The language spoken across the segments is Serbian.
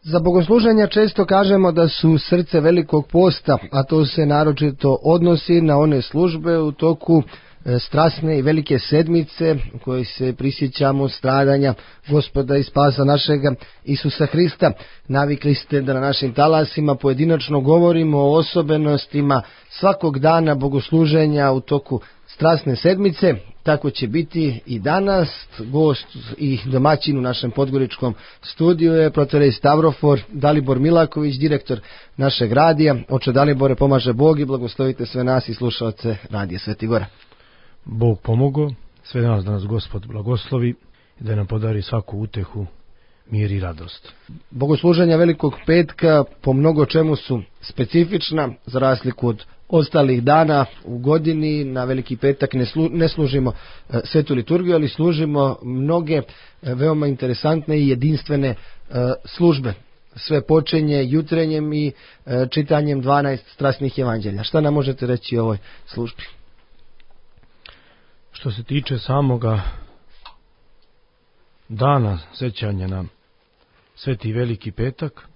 Za bogosluženja često kažemo da su srce velikog posta, a to se naročito odnosi na one službe u toku strasne i velike sedmice u kojoj se prisjećamo stradanja Gospoda i spasa našega Isusa Hrista. Navikli ste da na našim talasima pojedinačno govorimo o osobenostima svakog dana bogosluženja u toku strasne sedmice. Tako će biti i danas. Gost i domaćin u našem podgoričkom studiju je protorej Stavrofor Dalibor Milaković, direktor našeg radija. Oče Dalibore, pomaže Bog i blagoslovite sve nas i slušalce Radija Sveti Gora. Bog pomogo, sve nas da nas Gospod blagoslovi i da nam podari svaku utehu, mir i radost. Bogosluženja Velikog petka po mnogo čemu su specifična, za razliku od ostalih dana u godini. Na Veliki petak ne služimo svetu liturgiju, ali služimo mnoge veoma interesantne i jedinstvene službe. Sve počinje jutrenjem i čitanjem 12 strasnih evanđelja. Šta nam možete reći o ovoj službi? Što se tiče samoga dana sećanja na Sveti Veliki petak,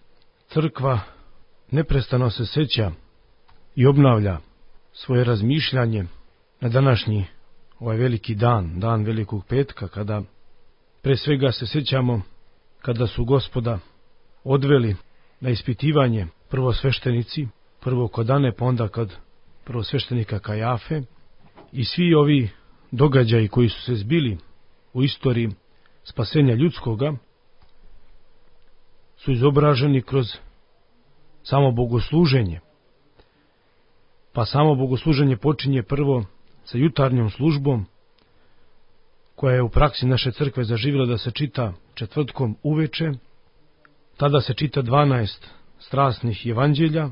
crkva neprestano se seća i obnavlja svoje razmišljanje na današnji ovaj veliki dan, dan Velikog petka, kada pre svega se sećamo kada su Gospoda odveli na ispitivanje prvosveštenici, prvo kod Ane, pa onda kod prvosveštenika Kajafe, i svi ovi događaji koji su se zbili u istoriji spasenja ljudskoga su izobraženi kroz samo bogosluženje. Pa samo bogosluženje počinje prvo sa jutarnjom službom, koja je u praksi naše crkve zaživjela da se čita četvrtkom uveče. Tada se čita 12 strasnih evanđelja,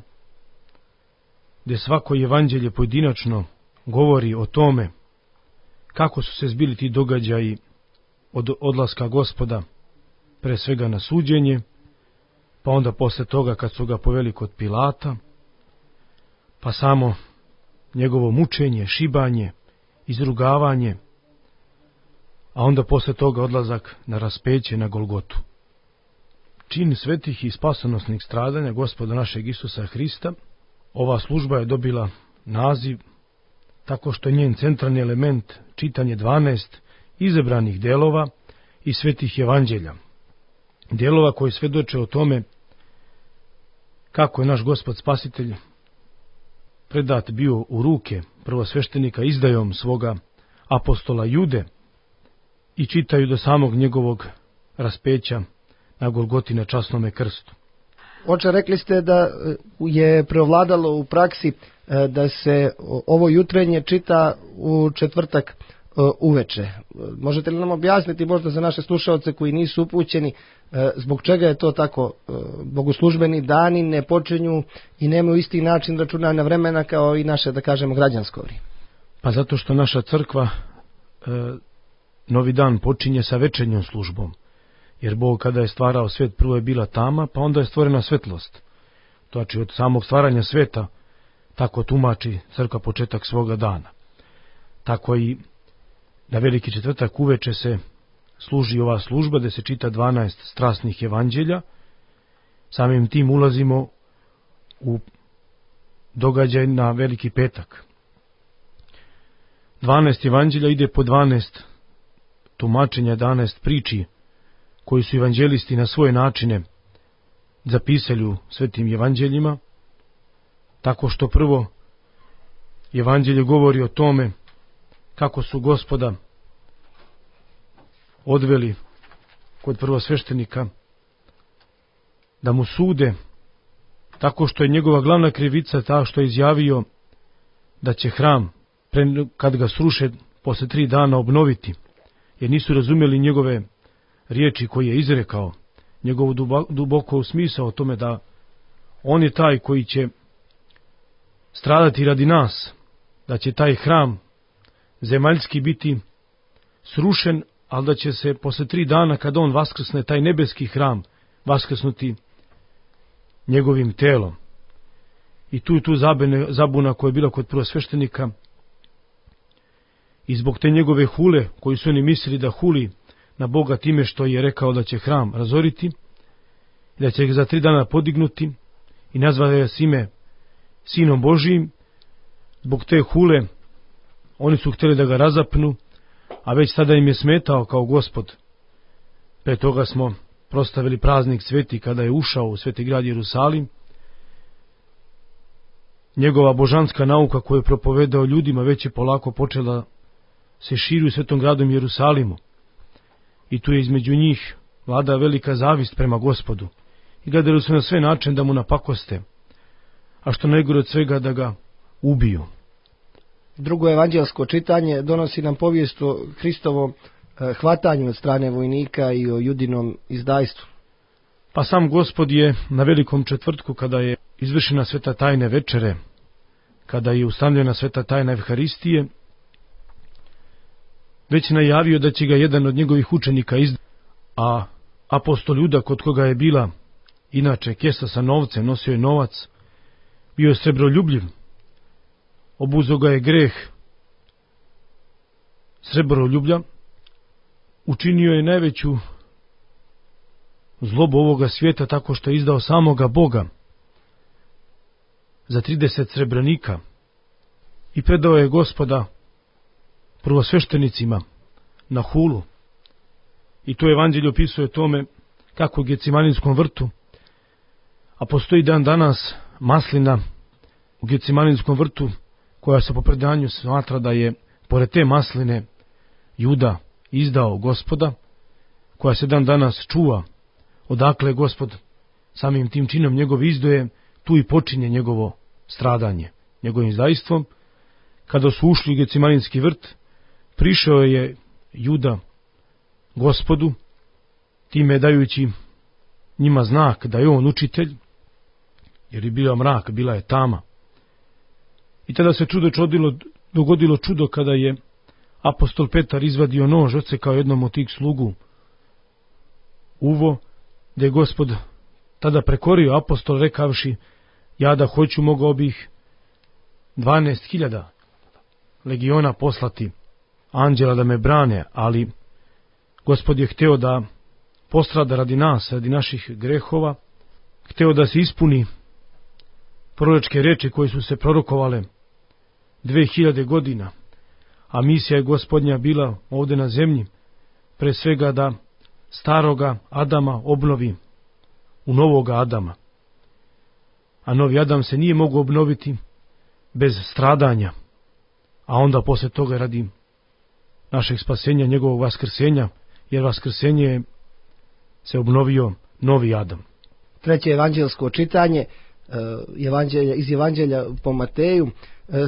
gdje svako evanđelje pojedinačno govori o tome kako su se zbili ti događaji od odlaska Gospoda pre svega na suđenje, pa onda posle toga kad su ga poveli kod Pilata, pa samo njegovo mučenje, šibanje, izrugavanje, a onda posle toga odlazak na raspeće na Golgotu. Čin svetih i spasonosnih stradanja Gospoda našeg Isusa Hrista, ova služba je dobila naziv tako što je njen centralni element čitanje 12 izabranih delova i svetih evanđelja. Delova koji svedoče o tome kako je naš Gospod Spasitelj predat bio u ruke prvosveštenika izdajom svoga apostola Jude i čitaju do samog njegovog raspeća na Golgoti na časnome krstu. Oče, rekli ste da je preovladalo u praksi da se ovo jutrenje čita u četvrtak uveče. Možete li nam objasniti možda za naše slušalce koji nisu upućeni zbog čega je to tako? Bogoslužbeni dani ne počinju i nemaju isti način računanja vremena kao i naše, da kažemo, građansko vrijeme. Pa zato što naša crkva novi dan počinje sa večernjom službom. Jer Bog kada je stvarao svet, prvo je bila tama, pa onda je stvorena svetlost. Znači od samog stvaranja sveta tako tumači crkva početak svoga dana. Tako i na Veliki četvrtak uveče se služi ova služba gdje se čita 12 strasnih evanđelja. Samim tim ulazimo u događaj na Veliki petak. 12 evanđelja ide po 12 tumačenja, 12 priči koji su evanđelisti na svoje načine zapisali u svetim evanđeljima, tako što prvo evanđelje govori o tome kako su Gospoda odveli kod prvosveštenika da mu sude, tako što je njegova glavna krivica ta što je izjavio da će hram, kad ga sruše, posle 3 dana obnoviti, jer nisu razumjeli njegove riječi koje je izrekao, njegovu duboko smisao o tome da on je taj koji će stradati radi nas, da će taj hram zemaljski biti srušen, ali da će se posle 3 dana kada on vaskrsne, taj nebeski hram vaskrsnuti njegovim telom. I tu zabuna koja je bila kod prvosveštenika, i zbog te njegove hule, koji su oni mislili da huli na Boga time što je rekao da će hram razoriti, i da će ga za 3 dana podignuti i nazvati ga ime Sinom Božijim. Zbog te hule oni su htjeli da ga razapnu, a već tada im je smetao kao Gospod. Pre toga smo prostavili praznik sveti kada je ušao u sveti grad Jerusalim. Njegova božanska nauka koju je propovedao ljudima već je polako počela se širi u svetom gradom Jerusalimu. I tu je između njih vlada velika zavist prema Gospodu. I gledali su na sve načine da mu napakoste, a što najgore od svega da ga ubiju. Drugo evanđelsko čitanje donosi nam povijest o Hristovom hvatanju od strane vojnika i o Judinom izdajstvu. Pa sam Gospod je na velikom četvrtku, kada je izvršena sveta tajne večere, kada je ustanovljena sveta tajna Evharistije, već najavio da će ga jedan od njegovih učenika izdati, a apostol Juda, kod koga je bila inače kesa sa novcem, nosio je novac, bio je srebroljubljiv, obuzo ga je greh srebroljublja, učinio je najveću zlobu ovoga svijeta tako što je izdao samoga Boga za 30 srebrnika i predao je Gospoda prvosveštenicima na hulu. I to evanđelje opisuje tome kako u Gecimaninskom vrtu, a postoji dan danas maslina u Gecimaninskom vrtu koja se po predanju smatra da je pored te masline Juda izdao Gospoda, koja se dan danas čuva odakle je Gospod samim tim činom njegove izdoje, tu i počinje njegovo stradanje. Njegovim izdajstvom, kada su ušli u Gecimaninski vrt, prišao je Juda Gospodu, time dajući njima znak da je on učitelj, jer je bio mrak, bila je tama. I tada se dogodilo čudo kada je apostol Petar izvadio nož, odsekao jednom od tih slugu uvo, gdje je Gospod tada prekorio apostol rekavši: ja da hoću, mogao bih 12.000 legiona poslati anđela da me brane, ali Gospod je hteo da postrada radi nas, radi naših grehova, hteo da se ispuni proročke reči koje su se prorokovale 2000 godina, a misija je Gospodnja bila ovdje na zemlji, pre svega da staroga Adama obnovi u novoga Adama. A novi Adam se nije mogao obnoviti bez stradanja, a onda posle toga radi našeg spasenja, njegovog vaskrsenja, jer vaskrsenje se obnovio novi Adam. Treće evanđelsko čitanje iz Evanđelja po Mateju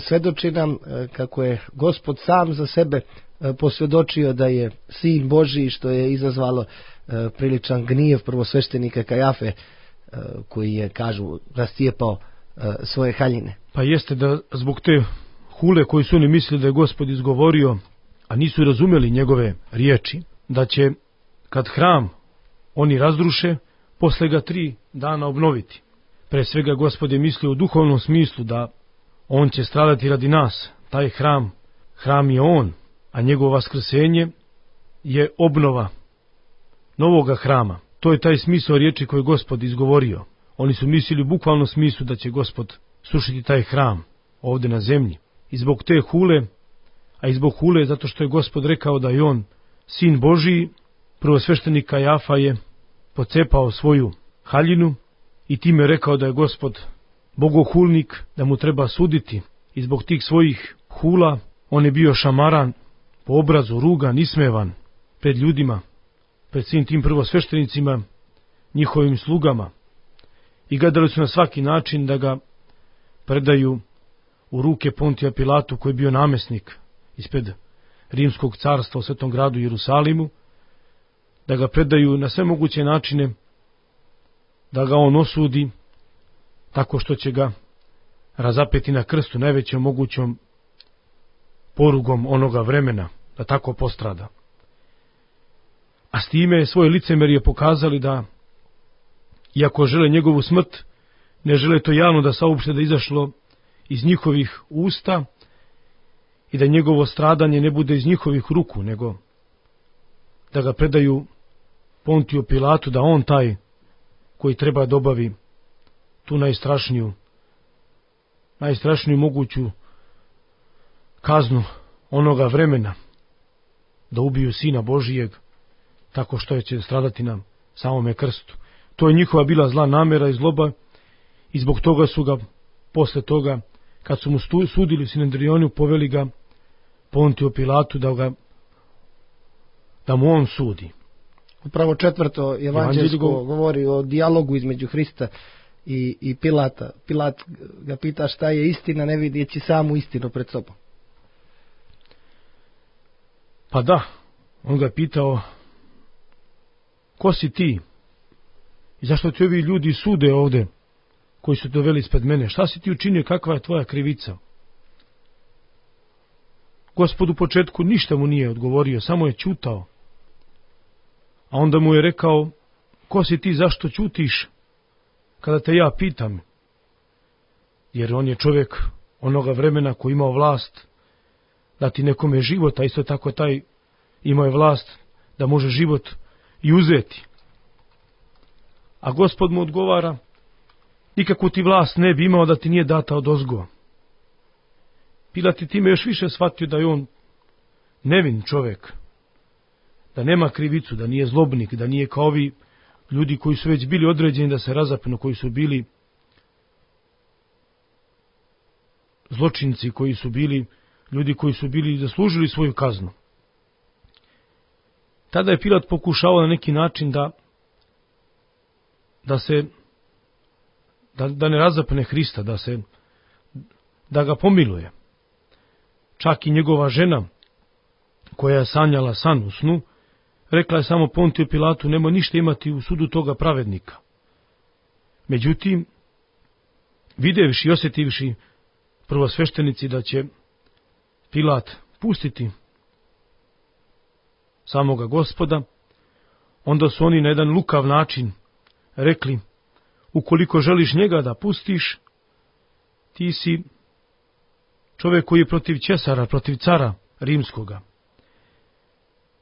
svedoči nam kako je Gospod sam za sebe posvjedočio da je Sin Božiji, što je izazvalo priličan gnjev prvosveštenika Kajafe, koji je, kažu, rascijepao svoje haljine. Pa jeste da zbog te hule koju su oni mislili da je Gospod izgovorio, a nisu razumeli njegove riječi, da će kad hram oni razruše, posle ga 3 dana obnoviti. Pre svega Gospod je mislio u duhovnom smislu da on će stradati radi nas. Taj hram je on, a njegovo vaskrsenje je obnova novoga hrama. To je taj smisao riječi koji je Gospod izgovorio. Oni su mislili u bukvalnom smislu da će Gospod srušiti taj hram ovdje na zemlji. I zbog te hule, a i zbog hule zato što je Gospod rekao da je on Sin Božiji, prvosveštenik Kajafa je pocepao svoju haljinu i time rekao da je Gospod bogohulnik, da mu treba suditi. I zbog tih svojih hula on je bio šamaran, po obrazu rugan, ismevan pred ljudima, pred svim tim prvosveštenicima, njihovim slugama. I gledali su na svaki način da ga predaju u ruke Pontija Pilatu, koji je bio namjesnik ispred Rimskog carstva u svetom gradu Jerusalimu, da ga predaju na sve moguće načine, da ga on osudi tako što će ga razapeti na krstu najvećom mogućom porugom onoga vremena, da tako postrada. A s time svoje licemerje pokazali da, iako žele njegovu smrt, ne žele to javno da saopšte da izašlo iz njihovih usta i da njegovo stradanje ne bude iz njihovih ruku, nego da ga predaju Pontiju Pilatu, da on taj koji treba da obavi tu najstrašniju moguću kaznu onoga vremena, da ubiju Sina Božijeg tako što će stradati na samome krstu. To je njihova bila zla namera i zloba i zbog toga su ga posle toga, kad su mu sudili u Sinedrionu, poveli ga Pontiju Pilatu da mu on sudi. Upravo 4. evanđelsko govori o dijalogu između Hrista i Pilata. Pilat ga pita šta je istina, ne vidjeći samu istinu pred sobom. Pa da, on ga pitao, ko si ti? I zašto ti ovi ljudi sude ovde, koji su doveli ispred mene? Šta si ti učinio, kakva je tvoja krivica? Gospod u početku ništa mu nije odgovorio, samo je ćutao. A onda mu je rekao, ko si ti, zašto ćutiš kada te ja pitam? Jer on je čovjek onoga vremena koji imao vlast dati nekome život, a isto tako taj imao je vlast da može život i uzeti. A Gospod mu odgovara, nikakvu ti vlast ne bi imao da ti nije data odozgo. Pilat je time još više shvatio da je on nevin čovjek, da nema krivicu, da nije zlobnik, da nije kao ovi ljudi koji su već bili određeni da se razapnu, koji su bili zločinci, koji su bili ljudi koji su bili zaslužili svoju kaznu. Tada je Pilat pokušao na neki način da ne razapne Hrista, da ga pomiluje. Čak i njegova žena, koja je sanjala san u snu, rekla je samo Pontiju Pilatu, nemoj ništa imati u sudu toga pravednika. Međutim, vidjevši i osjetivši prvosveštenici da će Pilat pustiti samoga Gospoda, onda su oni na jedan lukav način rekli, ukoliko želiš njega da pustiš, ti si čovjek koji je protiv Cesara, protiv cara rimskoga.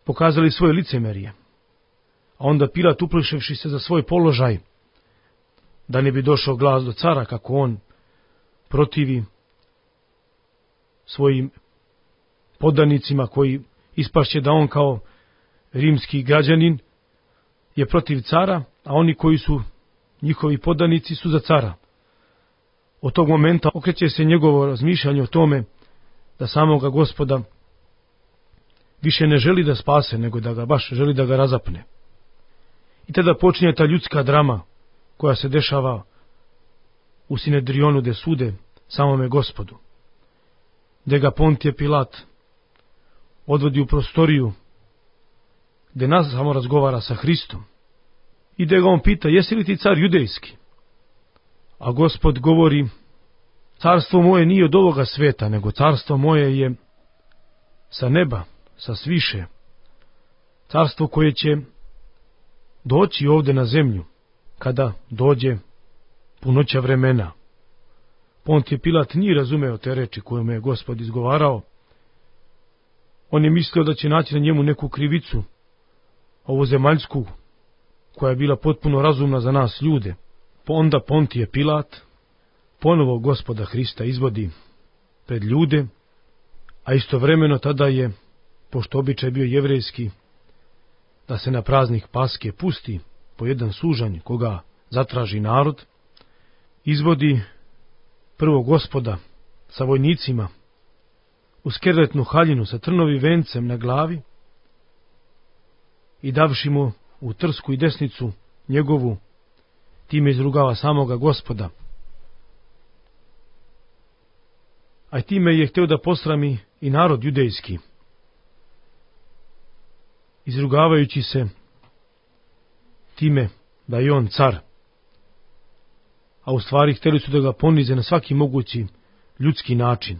Pokazali svoje licemerje. A onda Pilat, uplašivši se za svoj položaj, da ne bi došao glas do cara kako on protivi svojim podanicima, koji ispašće da on kao rimski građanin je protiv cara, a oni koji su njihovi podanici su za cara. Od tog momenta okreće se njegovo razmišljanje o tome da samoga Gospoda više ne želi da spase, nego da ga baš želi da ga razapne. I tada počinje ta ljudska drama koja se dešava u Sinedrionu, gde sude samome Gospodu, gde ga Pontije Pilat odvodi u prostoriju gde nas samo razgovara sa Hristom i gde ga on pita, jesi li ti car judejski? A Gospod govori, carstvo moje nije od ovoga sveta, nego carstvo moje je sa neba, sa sviše. Carstvo koje će doći ovde na zemlju, kada dođe punoća vremena. Pontije Pilat nije razumeo te reči koje mu je Gospod izgovarao. On je mislio da će naći na njemu neku krivicu, ovu zemaljsku, koja je bila potpuno razumna za nas ljude. Onda Pontije Pilat ponovo Gospoda Hrista izvodi pred ljude, a istovremeno tada je, pošto običaj bio jevrejski, da se na praznik Paske pusti po jedan sužanj koga zatraži narod, izvodi prvo Gospoda sa vojnicima u skerletnu haljinu sa trnovim vencem na glavi i davši mu u trsku i desnicu njegovu, time izrugava samoga Gospoda. A time je hteo da posrami i narod judejski, izrugavajući se time da je on car. A u stvari hteli su da ga ponize na svaki mogući ljudski način.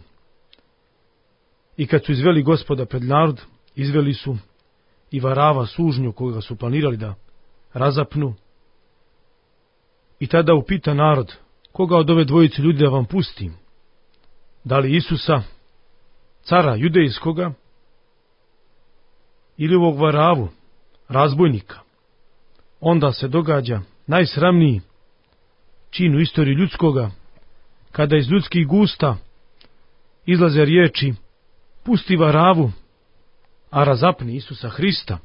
I kad su izveli Gospoda pred narod, izveli su i Varava sužnju koga su planirali da razapnu. I tada upita narod, koga od ove dvojice ljudi da vam pustim? Da li Isusa, cara judejskoga, ili ovog Varavu, razbojnika? Onda se događa najsramniji čin u istoriji ljudskoga, kada iz ljudskih gusta izlaze riječi pusti Varavu, a razapni Isusa Hrista,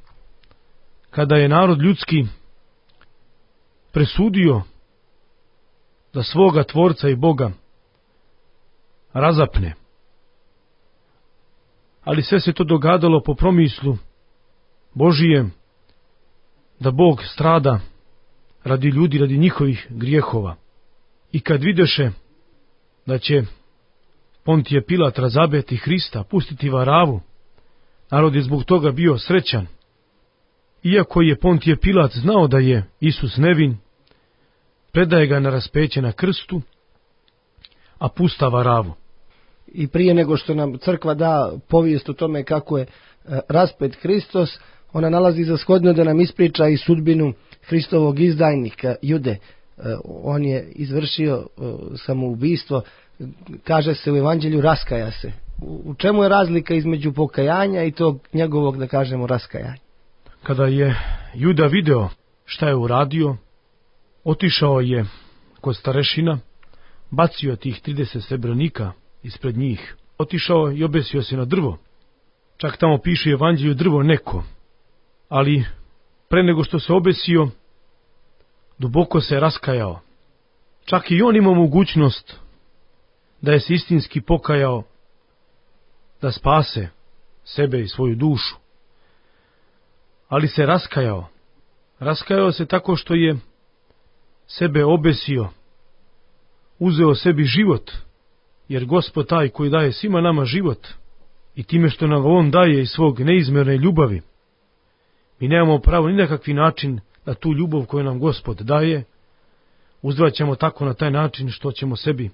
kada je narod ljudski presudio da svoga Tvorca i Boga razapne. Ali sve se to dogadalo po promislu Božijem, da Bog strada radi ljudi, radi njihovih grijehova. I kad videše da će Pontije Pilat razabeti Hrista, pustiti Varavu, narod je zbog toga bio srećan. Iako je Pontije Pilat znao da je Isus nevin, predaje ga na raspeće na krstu, a pusta Varavu. I prije nego što nam crkva da povijest o tome kako je raspet Hristos, ona nalazi za shodno da nam ispriča i sudbinu Hristovog izdajnika Jude. On je izvršio samoubistvo, kaže se u evanđelju raskaja se. U čemu je razlika između pokajanja i tog njegovog, da kažemo, raskajanja? Kada je Juda video šta je uradio, otišao je kod starešina, bacio tih 30 srebrnika ispred njih, otišao i obesio se na drvo. Čak tamo piše u evanđelju drvo neko, ali pre nego što se obesio, duboko se raskajao. Čak i on imao mogućnost da je se istinski pokajao, da spase sebe i svoju dušu. Ali se raskajao. Raskajao se tako što je sebe obesio, uzeo sebi život, jer Gospod taj koji daje svima nama život, i time što nam on daje iz svog neizmjerne ljubavi, mi nemamo pravo ni na kakvi način da tu ljubav koju nam Gospod daje uzvraćamo tako na taj način što ćemo sebi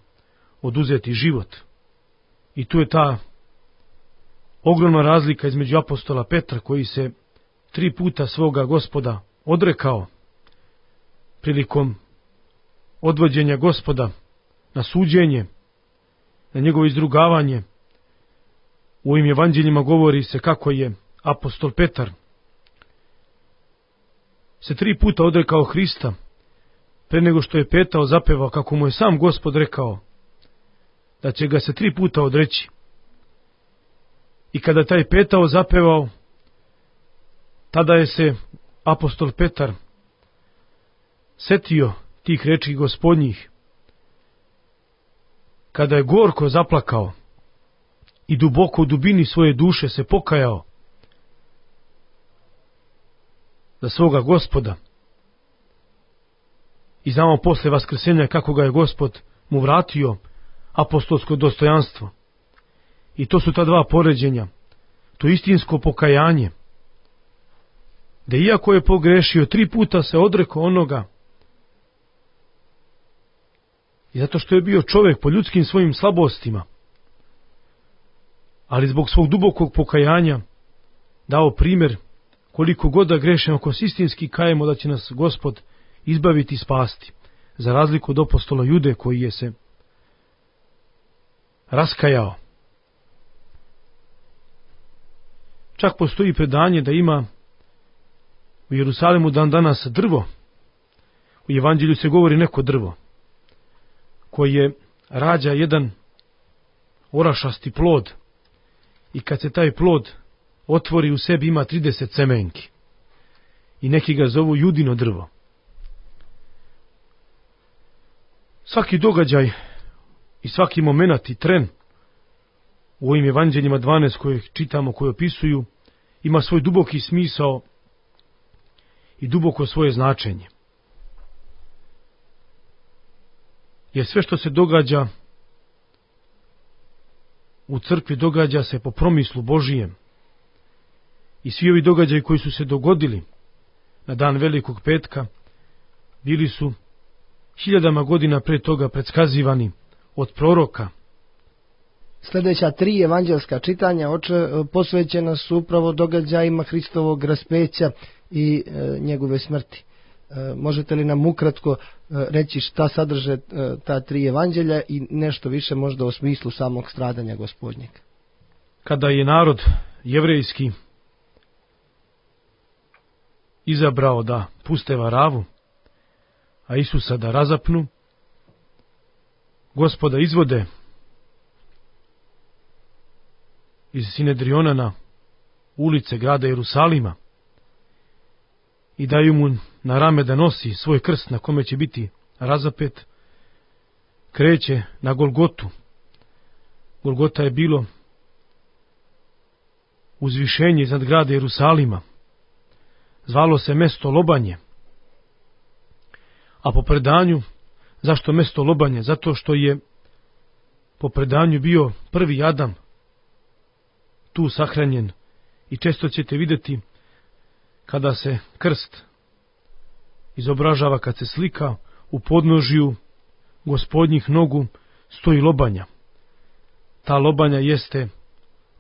oduzeti život. I tu je ta ogromna razlika između apostola Petra, koji se 3 puta svoga Gospoda odrekao prilikom odvođenja Gospoda na suđenje, na njegovo izdrugavanje. U ovim evanđeljima govori se kako je apostol Petar se 3 puta odrekao Hrista, pre nego što je petao zapevao kako mu je sam Gospod rekao da će ga se 3 puta odreći. I kada taj petao zapevao, tada je se apostol Petar setio tih reči Gospodnjih, kada je gorko zaplakao i duboko u dubini svoje duše se pokajao za svoga Gospoda. I znamo posle vaskrsenja kako ga je Gospod mu vratio apostolsko dostojanstvo. I to su ta 2 poređenja, to istinsko pokajanje, da iako je pogrešio 3 puta se odrekao onoga, i zato što je bio čovjek po ljudskim svojim slabostima, ali zbog svog dubokog pokajanja dao primjer koliko god da grešimo, ako se istinski kajemo, da će nas Gospod izbaviti i spasti, za razliku od apostola Jude koji je se raskajao. Čak postoji predanje da ima u Jerusalimu dan danas drvo. U evanđelju se govori neko drvo koje rađa jedan orašasti plod, i kad se taj plod otvori, u sebi ima 30 semenki, i neki ga zovu Judino drvo. Svaki događaj i svaki moment i tren u ovim evanđeljima 12 koje čitamo, koje opisuju, ima svoj duboki smisao i duboko svoje značenje. Jer sve što se događa u crkvi događa se po promislu Božijem. I svi ovi događaji koji su se dogodili na dan Velikog petka bili su 1000 godina pre toga predskazivani od proroka. Sljedeća 3 evanđelska čitanja posvećena su upravo događajima Hristovog raspeća i njegove smrti. Možete li nam ukratko reći šta sadrže ta 3 evanđelja i nešto više možda o smislu samog stradanja Gospodnjeg? Kada je narod jevrejski izabrao da puste Varavu, a Isusa da razapnu, Gospoda izvode iz Sinedriona na ulice grada Jerusalima i daju mu na rame da nosi svoj krst na kome će biti razapet, kreće na Golgotu. Golgota je bilo uzvišenje iznad grada Jerusalima. Zvalo se mesto lobanje. A po predanju, zašto mesto lobanje? Zato što je po predanju bio prvi Adam tu sahranjen. I često ćete vidjeti kada se krst izobražava, kad se slika, u podnožju Gospodnjih nogu stoji lobanja. Ta lobanja jeste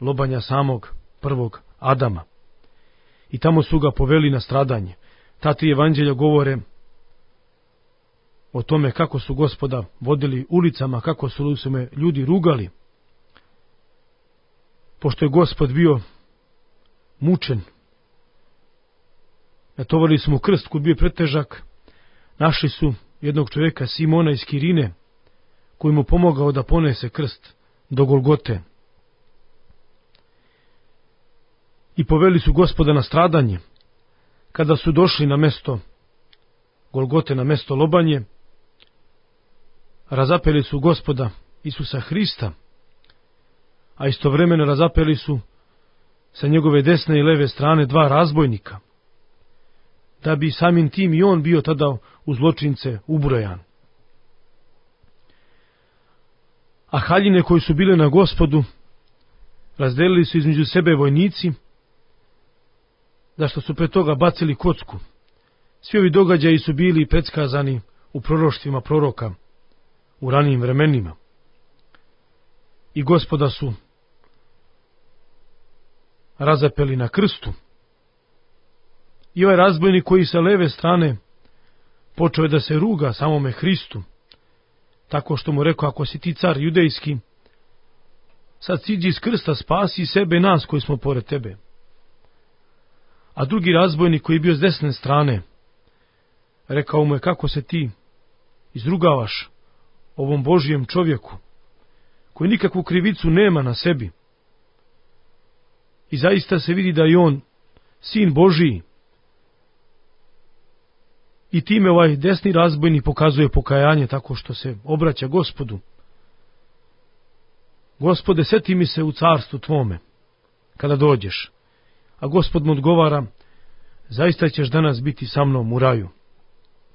lobanja samog prvog Adama. I tamo su ga poveli na stradanje. Ta tri evanđelja govore o tome kako su Gospoda vodili ulicama, kako su me ljudi rugali. Pošto je Gospod bio mučen, natovali su mu krst koji bio pretežak, našli su jednog čovjeka, Simona iz Kirine, koji mu pomogao da ponese krst do Golgote. I poveli su Gospoda na stradanje. Kada su došli na mesto Golgote, na mesto lobanje, razapeli su Gospoda Isusa Hrista, a istovremeno razapeli su sa njegove desne i leve strane dva razbojnika, da bi samim tim i on bio tada u zločince ubrojan. A haljine koji su bile na Gospodu razdelili su između sebe vojnici, zašto su pre toga bacili kocku. Svi ovi događaji su bili predskazani u proroštvima proroka u ranijim vremenima. I Gospoda su razapeli na krstu. I ovaj razbojnik koji sa leve strane počeo je da se ruga samome Hristu, tako što mu rekao: ako si ti car judejski, sad siđi iz krsta, spasi sebe i nas koji smo pored tebe. A drugi razbojnik koji je bio s desne strane rekao mu je: kako se ti izrugavaš ovom Božijem čovjeku koji nikakvu krivicu nema na sebi. I zaista se vidi da je on sin Božiji. I time ovaj desni razbojnik pokazuje pokajanje tako što se obraća Gospodu. Gospode, seti mi se u carstvu tvome kada dođeš. A Gospod mu odgovara: zaista ćeš danas biti sa mnom u raju.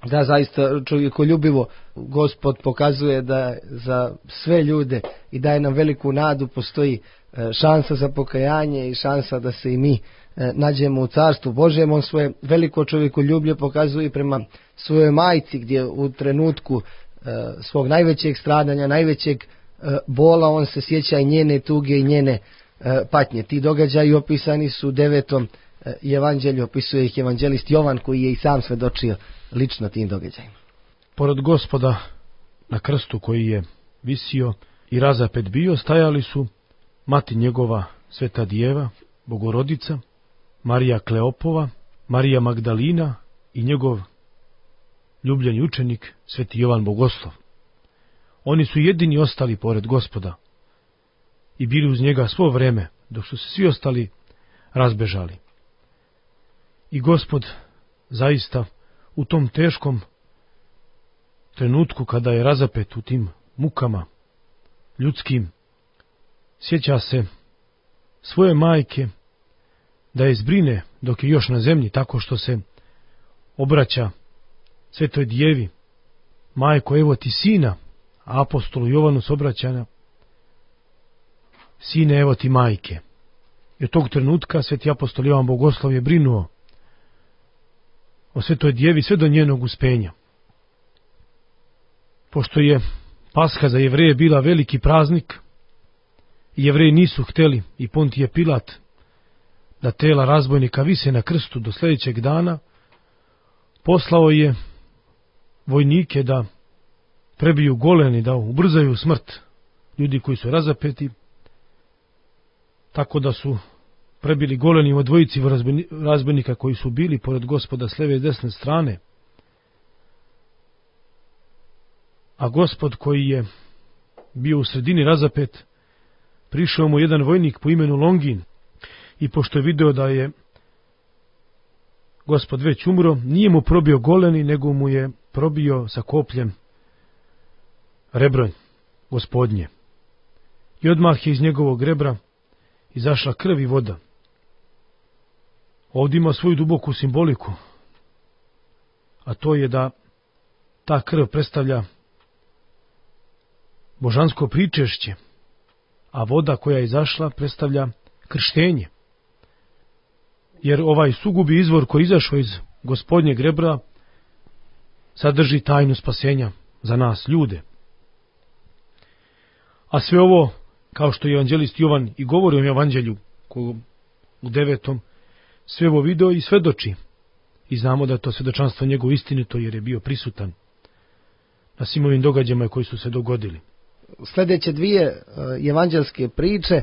Da, zaista čovjekoljubivo Gospod pokazuje da za sve ljude i daje nam veliku nadu, postoji šansa za pokajanje i šansa da se i mi nađemo u carstvu Božjem. On svoje veliko čovjekoljublje pokazuje prema svojoj majci, gdje u trenutku svog najvećeg stradanja, najvećeg bola, on se sjeća i njene tuge i njene patnje. Ti događaji opisani su u 9. evanđelju, opisuje ih evanđelist Jovan, koji je i sam svedočio lično tim događajima. Pored Gospoda na krstu koji je visio i razapet bio, stajali su mati njegova Sveta Djeva, Bogorodica, Marija Kleopova, Marija Magdalina i njegov ljubljeni učenik Sveti Jovan Bogoslov. Oni su jedini ostali pored Gospoda i bili uz njega svo vreme, dok su se svi ostali razbežali. I Gospod zaista u tom teškom trenutku kada je razapet u tim mukama ljudskim, sjeća se svoje majke da je zbrine dok je još na zemlji, tako što se obraća Svetoj Djevi: majko, evo ti sina. A apostolu Jovanu se obraća: sine, evo ti majke. I od tog trenutka Sveti apostol Jovan Bogoslov je brinuo o Svetoj Djevi sve do njenog uspenja. Pošto je Paska za Jevreje bila veliki praznik i Jevreji nisu htjeli, i Pontije Pilat, da tela razbojnika vise na krstu do sljedećeg dana, poslao je vojnike da prebiju goleni, da ubrzaju smrt ljudi koji su razapeti, tako da su prebili goleni od dvojici razbojnika koji su bili pored Gospoda s leve i desne strane. a Gospod koji je bio u sredini razapet, prišao mu jedan vojnik po imenu Longin i pošto je video da je Gospod već umro, nije mu probio goleni, nego mu je probio sa kopljem rebro Gospodnje. I odmah je iz njegovog rebra izašla krv i voda. Ovdje ima svoju duboku simboliku, a to je da ta krv predstavlja božansko pričešće, a voda koja je izašla predstavlja krštenje. Jer ovaj sugubi izvor koji je izašao iz Gospodnjeg rebra sadrži tajnu spasenja za nas ljude. A sve ovo, kao što je evanđelist Jovan i govori o evanđelju u 9. sve ovo video i svedoči. I znamo da je to svedočanstvo njegovo istinito jer je bio prisutan na svim ovim događajima koji su se dogodili. Sljedeće dvije evanđelske priče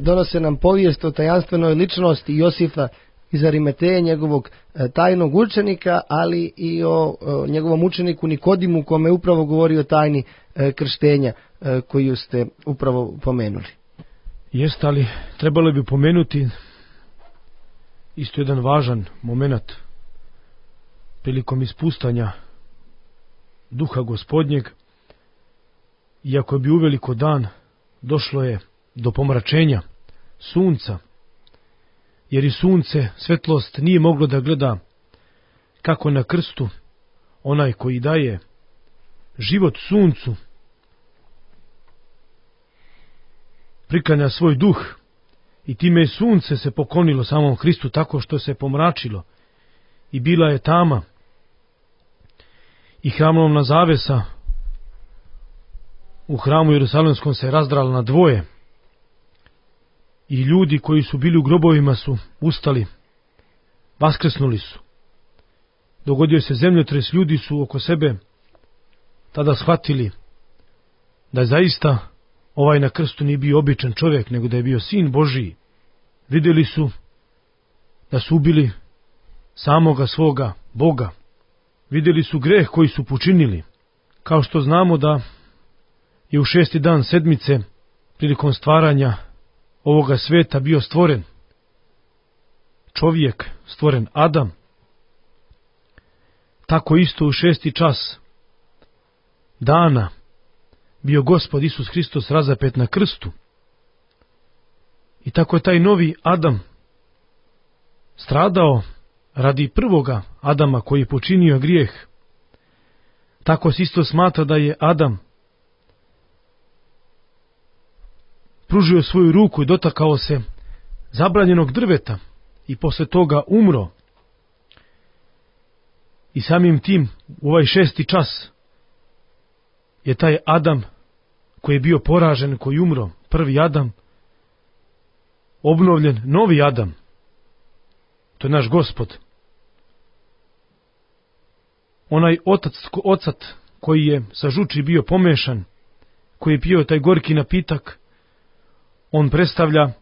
donose nam povijest o tajanstvenoj ličnosti Josifa iz Arimateje, njegovog tajnog učenika, ali i o njegovom učeniku Nikodimu, kome je upravo govorio o tajni krštenja koju ste upravo pomenuli. Jeste, ali trebalo bi pomenuti isto jedan važan moment prilikom ispustanja duha Gospodnjeg. Iako je bio uveliko dan, došlo je do pomračenja sunca, jer i sunce, svetlost, nije moglo da gleda kako na krstu onaj koji daje život suncu priklanja svoj duh, i time je sunce se poklonilo samom Hristu tako što se pomračilo i bila je tama i hramovna zavesa u hramu Jerusalemskom se razdrala na dvoje i ljudi koji su bili u grobovima su ustali, vaskrsnuli su. Dogodio se zemljotres, ljudi su oko sebe tada shvatili da zaista ovaj na krstu nije bio običan čovjek, nego da je bio sin Božiji. Vidjeli su da su ubili samoga svoga Boga. Vidjeli su greh koji su počinili. Kao što znamo da je u 6. dan sedmice prilikom stvaranja ovoga sveta bio stvoren čovjek, stvoren Adam, tako isto u 6. čas dana bio Gospod Isus Hristos razapet na krstu. I tako je taj novi Adam stradao radi prvoga Adama koji je počinio grijeh. Tako se isto smatra da je Adam pružio svoju ruku i dotakao se zabranjenog drveta i posle toga umro. I samim tim u ovaj 6. čas je taj Adam koji je bio poražen, koji je umro, prvi Adam, obnovljen novi Adam. To je naš Gospod. Onaj ocat koji je sa žuči bio pomešan, koji je pio taj gorki napitak, on predstavlja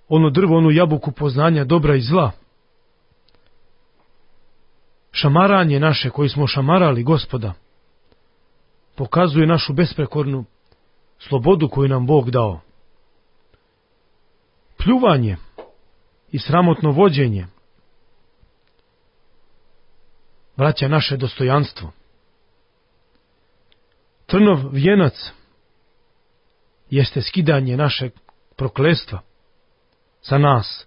ono drvo, onu jabuku poznanja dobra i zla. Šamaranje naše koji smo šamarali Gospoda pokazuje našu besprekornu slobodu koju nam Bog dao. Pljuvanje i sramotno vođenje vraća naše dostojanstvo. Trnov vijenac jeste skidanje našeg prokletstva sa nas,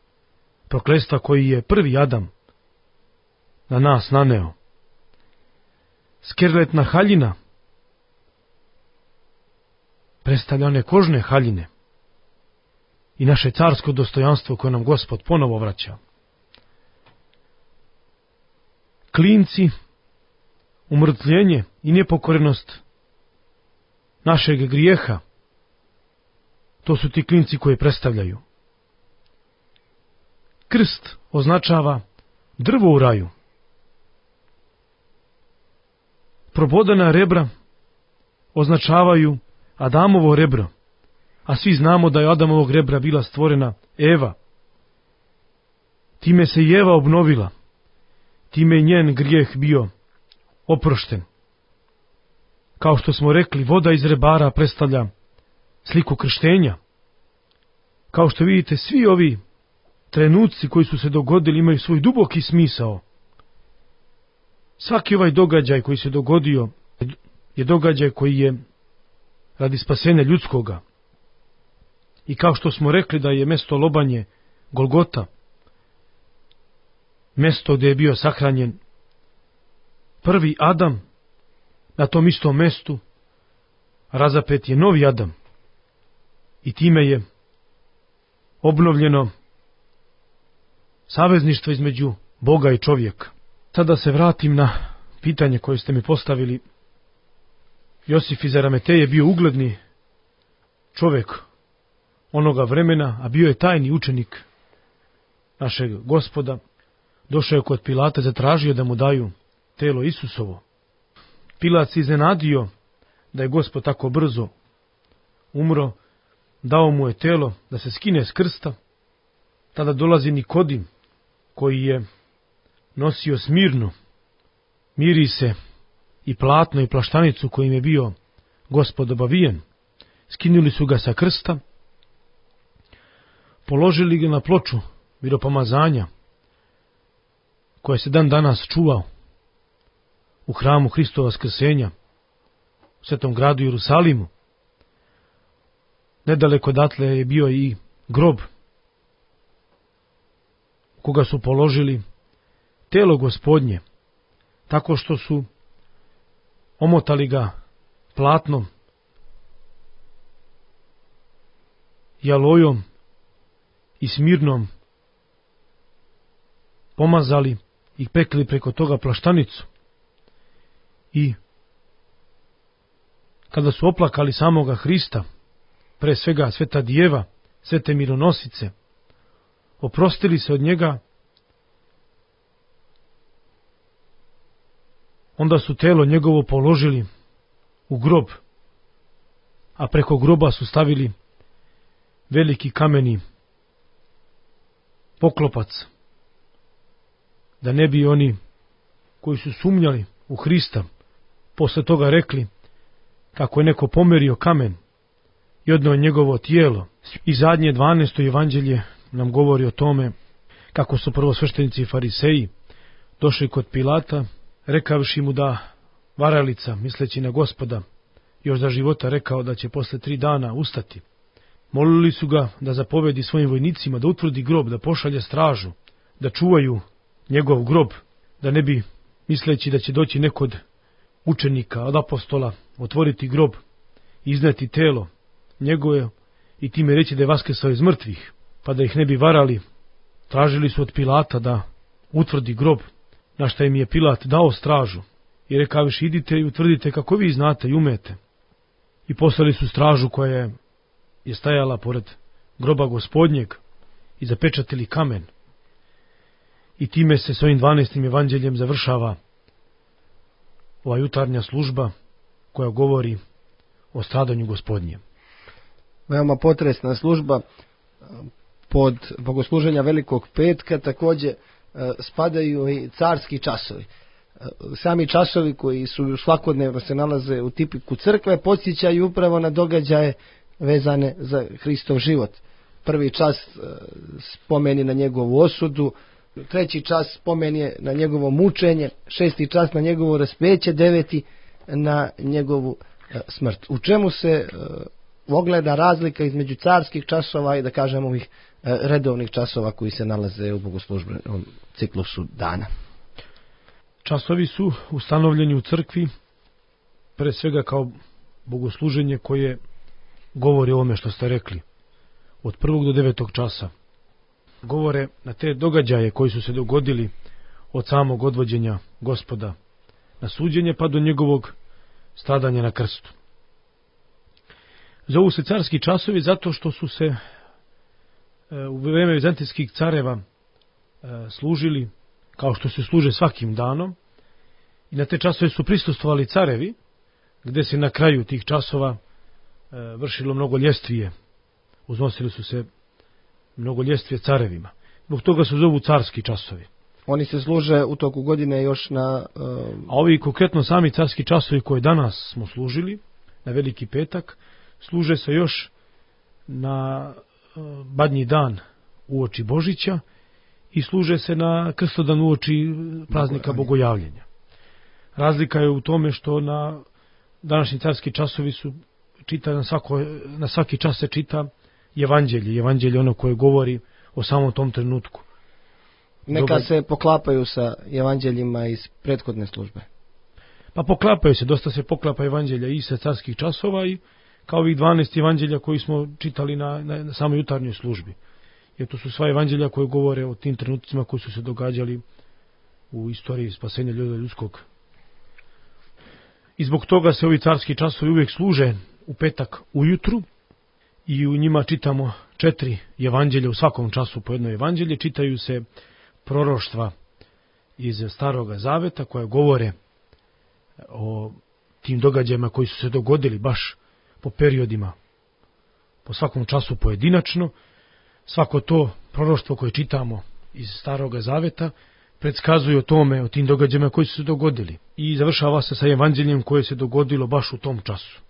prokletstva koji je prvi Adam na nas naneo. Skerletna haljina predstavlja one kožne haljine i naše carsko dostojanstvo koje nam Gospod ponovo vraća. Klinci, umrtvljenje i nepokorenost našeg grijeha, to su ti klinci koje predstavljaju. Krst označava drvo u raju. Probodana rebra označavaju Adamovo rebro, a svi znamo da je Adamovog rebra bila stvorena Eva. Time se i Eva obnovila, time je njen grijeh bio oprošten. Kao što smo rekli, voda iz rebara predstavlja sliku krštenja. Kao što vidite, svi ovi trenuci koji su se dogodili imaju svoj duboki smisao. Svaki ovaj događaj koji se dogodio je događaj koji je radi spasenja ljudskoga. I kao što smo rekli da je mesto lobanje Golgota, mesto gdje je bio sahranjen prvi Adam, na tom istom mestu razapet je novi Adam. I time je obnovljeno savezništvo između Boga i čovjeka. Sada se vratim na pitanje koje ste mi postavili. Josif iz Arimateje je bio ugledni čovjek onoga vremena, a bio je tajni učenik našeg Gospoda. Došao je kod Pilata, zatražio da mu daju telo Isusovo. Pilat se iznenadio da je Gospod tako brzo umro, dao mu je telo da se skine s krsta. Tada dolazi Nikodim, koji je nosio smirnu, mirise i platno i plaštanicu kojim je bio Gospod obavijen. Skinuli su ga sa krsta, položili ga na ploču miropomazanja, koja se dan danas čuva u hramu Hristova vaskrsenja, u svetom gradu Jerusalimu. Nedaleko odatle je bio i grob, koga su položili telo Gospodnje, tako što su omotali ga platnom i alojom i smirnom, pomazali i pekli preko toga plaštanicu. I kada su oplakali samoga Hrista, pre svega Sveta Djeva, svete mironosice, oprostili se od njega, onda su telo njegovo položili u grob, a preko groba su stavili veliki kameni poklopac, da ne bi oni koji su sumnjali u Hrista posle toga rekli kako je neko pomerio kamen i odneo njegovo tijelo. I zadnje 12. evanđelje nam govori o tome kako su prvosveštenici i fariseji došli kod Pilata, rekavši mu da varalica, misleći na Gospoda, još za života rekao da će posle 3 dana ustati. Molili su ga da zapovedi svojim vojnicima da utvrdi grob, da pošalje stražu, da čuvaju njegov grob, da ne bi, misleći da će doći neko od učenika, od apostola, otvoriti grob, izneti telo njegove i time reći da je vaskrsao iz mrtvih, pa da ih ne bi varali. Tražili su od Pilata da utvrdi grob, na šta im je Pilat dao stražu i rekaviš, idite i utvrdite kako vi znate i umete. I poslali su stražu koja je stajala pored groba Gospodnjeg i zapečatili kamen. I time se s ovim 12. evanđeljem završava ova jutarnja služba koja govori o stradanju Gospodnjem. Veoma potresna služba. Pod bogosluženja Velikog petka također spadaju i carski časovi. Sami časovi koji su svakodnevno se nalaze u tipiku crkve podsjećaju upravo na događaje vezane za Hristov život. Prvi čas spomeni na njegovu osudu, 3. čas spomeni na njegovo mučenje, 6. čas na njegovo raspeće, 9. na njegovu smrt. U čemu se ogleda razlika između carskih časova i da kažemo ovih redovnih časova koji se nalaze u bogoslužbenom ciklusu dana? Časovi su ustanovljeni u crkvi pre svega kao bogosluženje koje govori o ovome što ste rekli, od 1. do 9. časa. Govore na te događaje koji su se dogodili od samog odvođenja Gospoda na suđenje pa do njegovog stradanja na krstu. Zovu se carski časovi zato što su se u vreme vizantijskih careva služili kao što se služe svakim danom i na te časove su prisustvovali carevi, gde se na kraju tih časova vršilo mnogo ljestvije, uznosili su se mnogo ljestvije carevima. Zbog toga se zovu carski časovi. Oni se služe u toku godine još na... A ovi konkretno sami carski časovi koje danas smo služili, na Veliki petak, služe se još na Badnji dan uoči Božića i služe se na Krstodan uoči praznika Bogojavljenja. Razlika je u tome što na današnji carski časovi su čita na svaki čas se čita evanđelje. Evanđelje ono koje govori o samom tom trenutku. Neka se poklapaju sa evanđeljima iz prethodne službe. Pa poklapaju se, dosta se poklapa evanđelja i sa carskih časova i kao ovih 12 evanđelja koji smo čitali na samoj jutarnjoj službi. Jer to su sva evanđelja koje govore o tim trenucima koji su se događali u istoriji spasenja ljudskog. I zbog toga se ovi carski časovi uvijek služe u petak ujutru i u njima čitamo 4 evanđelja, u svakom času po jedno evanđelje. Čitaju se proroštva iz Staroga Zaveta koja govore o tim događajima koji su se dogodili baš po periodima, po svakom času pojedinačno. Svako to proroštvo koje čitamo iz Staroga Zaveta predskazuje o tome, o tim događajima koji su se dogodili. I završava se sa evanđeljem koje se dogodilo baš u tom času.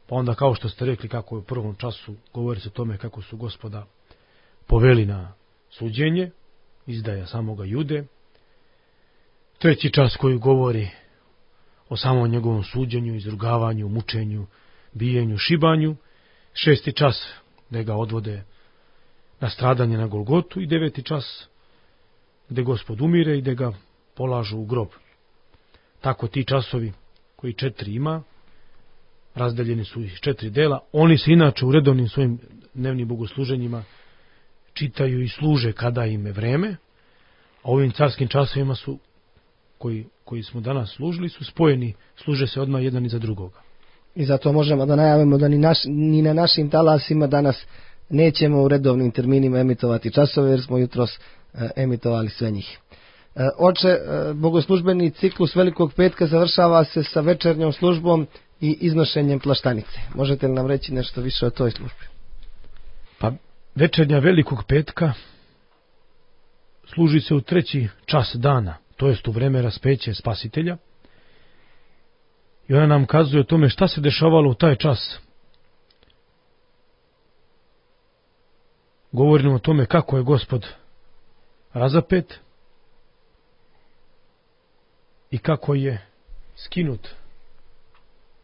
Pa onda, kao što ste rekli, kako je u prvom času govori se o tome kako su Gospoda poveli na suđenje, izdaja samoga Jude. Treći čas koji govori o samom njegovom suđenju, izrugavanju, mučenju, bijenju, šibanju. 6. čas da ga odvode na stradanje na Golgotu i 9. čas gde Gospod umire i gde ga polažu u grob. Tako ti časovi koji 4 ima, razdeljeni su iz 4 dela. Oni se inače u redovnim svojim dnevnim bogosluženjima čitaju i služe kada im je vreme, a ovim carskim časovima su koji smo danas služili su spojeni, služe se odmah jedan iza drugoga. I zato možemo da najavimo da ni na našim talasima danas nećemo u redovnim terminima emitovati časove, jer smo jutros emitovali sve njih. Oče, bogoslužbeni ciklus Velikog petka završava se sa večernjom službom i iznošenjem plaštanice. Možete li nam reći nešto više o toj službi? Pa večernja Velikog petka služi se u 3. čas dana, to jest u vreme raspeće Spasitelja. I ona nam kazuje o tome šta se dešavalo u taj čas. Govorimo o tome kako je Gospod razapet i kako je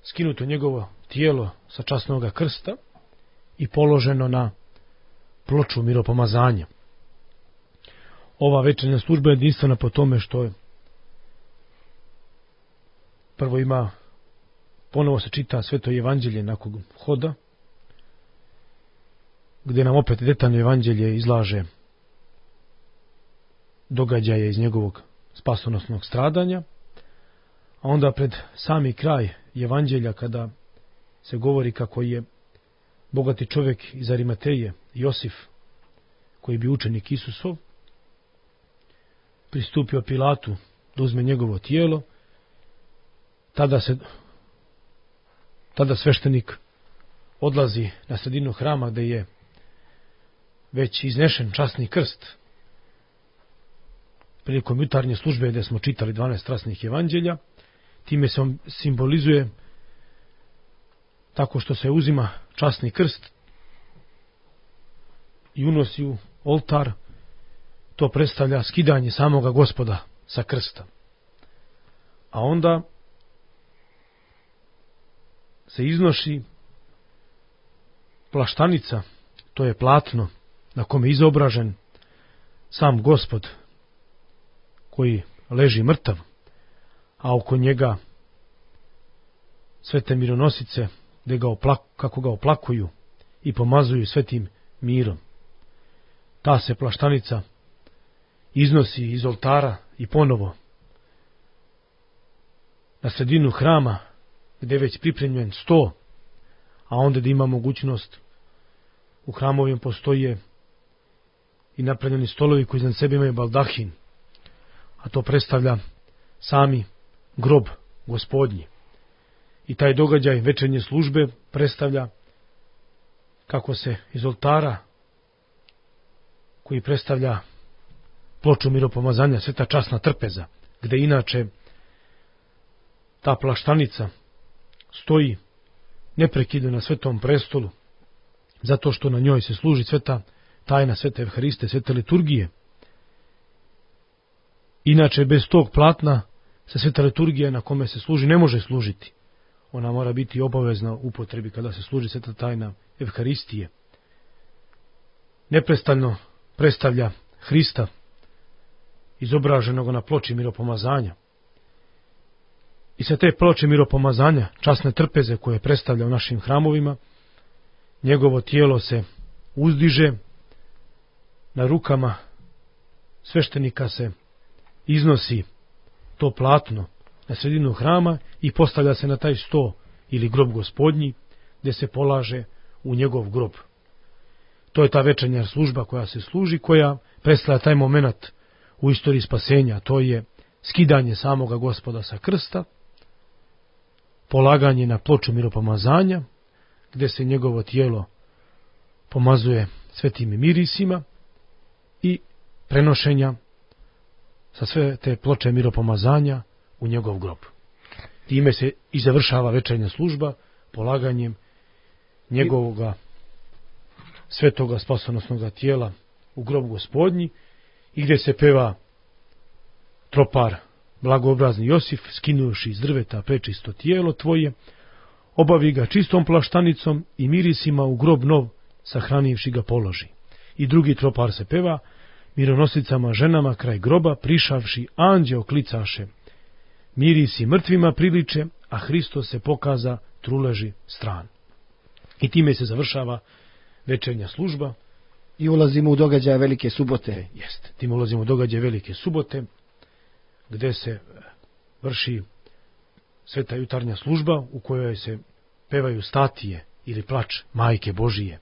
skinuto njegovo tijelo sa časnog krsta i položeno na ploču miropomazanja. Ova večernja služba je jedinstvena po tome što je prvo ponovo se čita Sveto evanđelje nakon hoda, gdje nam opet detaljno evanđelje izlaže događaje iz njegovog spasonosnog stradanja, a onda pred sami kraj evanđelja kada se govori kako je bogati čovjek iz Arimateje, Josif, koji bi učenik Isusov, pristupio Pilatu da uzme njegovo tijelo, tada sveštenik odlazi na sredinu hrama gdje je već iznešen časni krst prilikom jutarnje službe gdje smo čitali 12 strasnih evanđelja. Time se on simbolizuje tako što se uzima časni krst i unosi u oltar. To predstavlja skidanje samoga Gospoda sa krsta. A onda se iznoši plaštanica, to je platno na kome je izobražen sam Gospod koji leži mrtav, a oko njega svete mironosice kako ga oplakuju i pomazuju svetim mirom. Ta se plaštanica iznosi iz oltara i ponovo na sredinu hrama gdje je već pripremljen sto, a onda da ima mogućnost u hramovima postoje i napravljeni stolovi koji iznad sebe imaju baldahin, a to predstavlja sami grob Gospodnji. I taj događaj večernje službe predstavlja kako se iz oltara koji predstavlja ploču miropomazanja Sveta časna trpeza, gde inače ta plaštanica stoji neprekidno na Svetom prestolu, zato što na njoj se služi sveta tajna Svete Evhariste, Svete liturgije. Inače, bez tog platna se Sveta liturgija na kome se služi ne može služiti. Ona mora biti obavezna upotrebi kada se služi sveta tajna Evharistije. Neprestano predstavlja Hrista izobraženog na ploči miropomazanja. I sa te ploče miropomazanja, časne trpeze koje predstavlja u našim hramovima, njegovo tijelo se uzdiže, na rukama sveštenika se iznosi to platno na sredinu hrama i postavlja se na taj sto ili grob Gospodnji, gdje se polaže u njegov grob. To je ta večernja služba koja se služi, koja predstavlja taj moment u istoriji spasenja. To je skidanje samoga Gospoda sa krsta, polaganje na ploču miropomazanja, gdje se njegovo tijelo pomazuje svetim mirisima i prenošenja sa sve te ploče miropomazanja u njegov grob. Time se i završava večernja služba polaganjem njegovoga svetoga spasonosnoga tijela u grob Gospodnji, i gdje se peva tropar blagoobrazni Josif, skinuši iz drveta prečisto tijelo tvoje, obavi ga čistom plaštanicom i mirisima u grob nov, sahranivši ga položi. I drugi tropar se peva, mironosicama ženama kraj groba prišavši anđeo klicaše, mirisi mrtvima priliče, a Hristos se pokaza truleži stran. I time se završava večernja služba. I ulazimo u događaje Velike subote. Jeste, tim ulazimo u događaje Velike subote, gdje se vrši sveta jutarnja služba u kojoj se pevaju statije ili plač Majke Božije,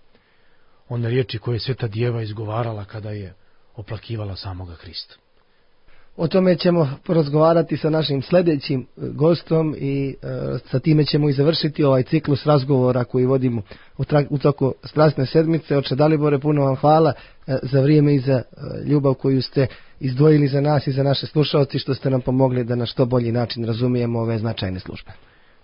one riječi koje je Sveta Djeva izgovarala kada je oplakivala samoga Hrista. O tome ćemo porazgovarati sa našim sljedećim gostom i sa time ćemo i završiti ovaj ciklus razgovora koji vodimo u toku strasne sedmice. Oče Dalibore, puno vam hvala za vrijeme i za ljubav koju ste izdvojili za nas i za naše slušalci, što ste nam pomogli da na što bolji način razumijemo ove značajne službe.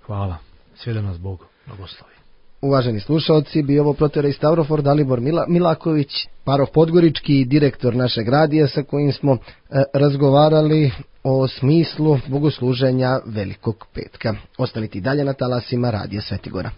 Hvala. Sve da nas Bog blagoslovi. Uvaženi slušalci, bio ovo proterei Stavrofor Dalibor Milaković, paroh Podgorički, direktor našeg radija, sa kojim smo razgovarali o smislu bogosluženja Velikog petka. Ostanite i dalje na talasima Radija Svetigora.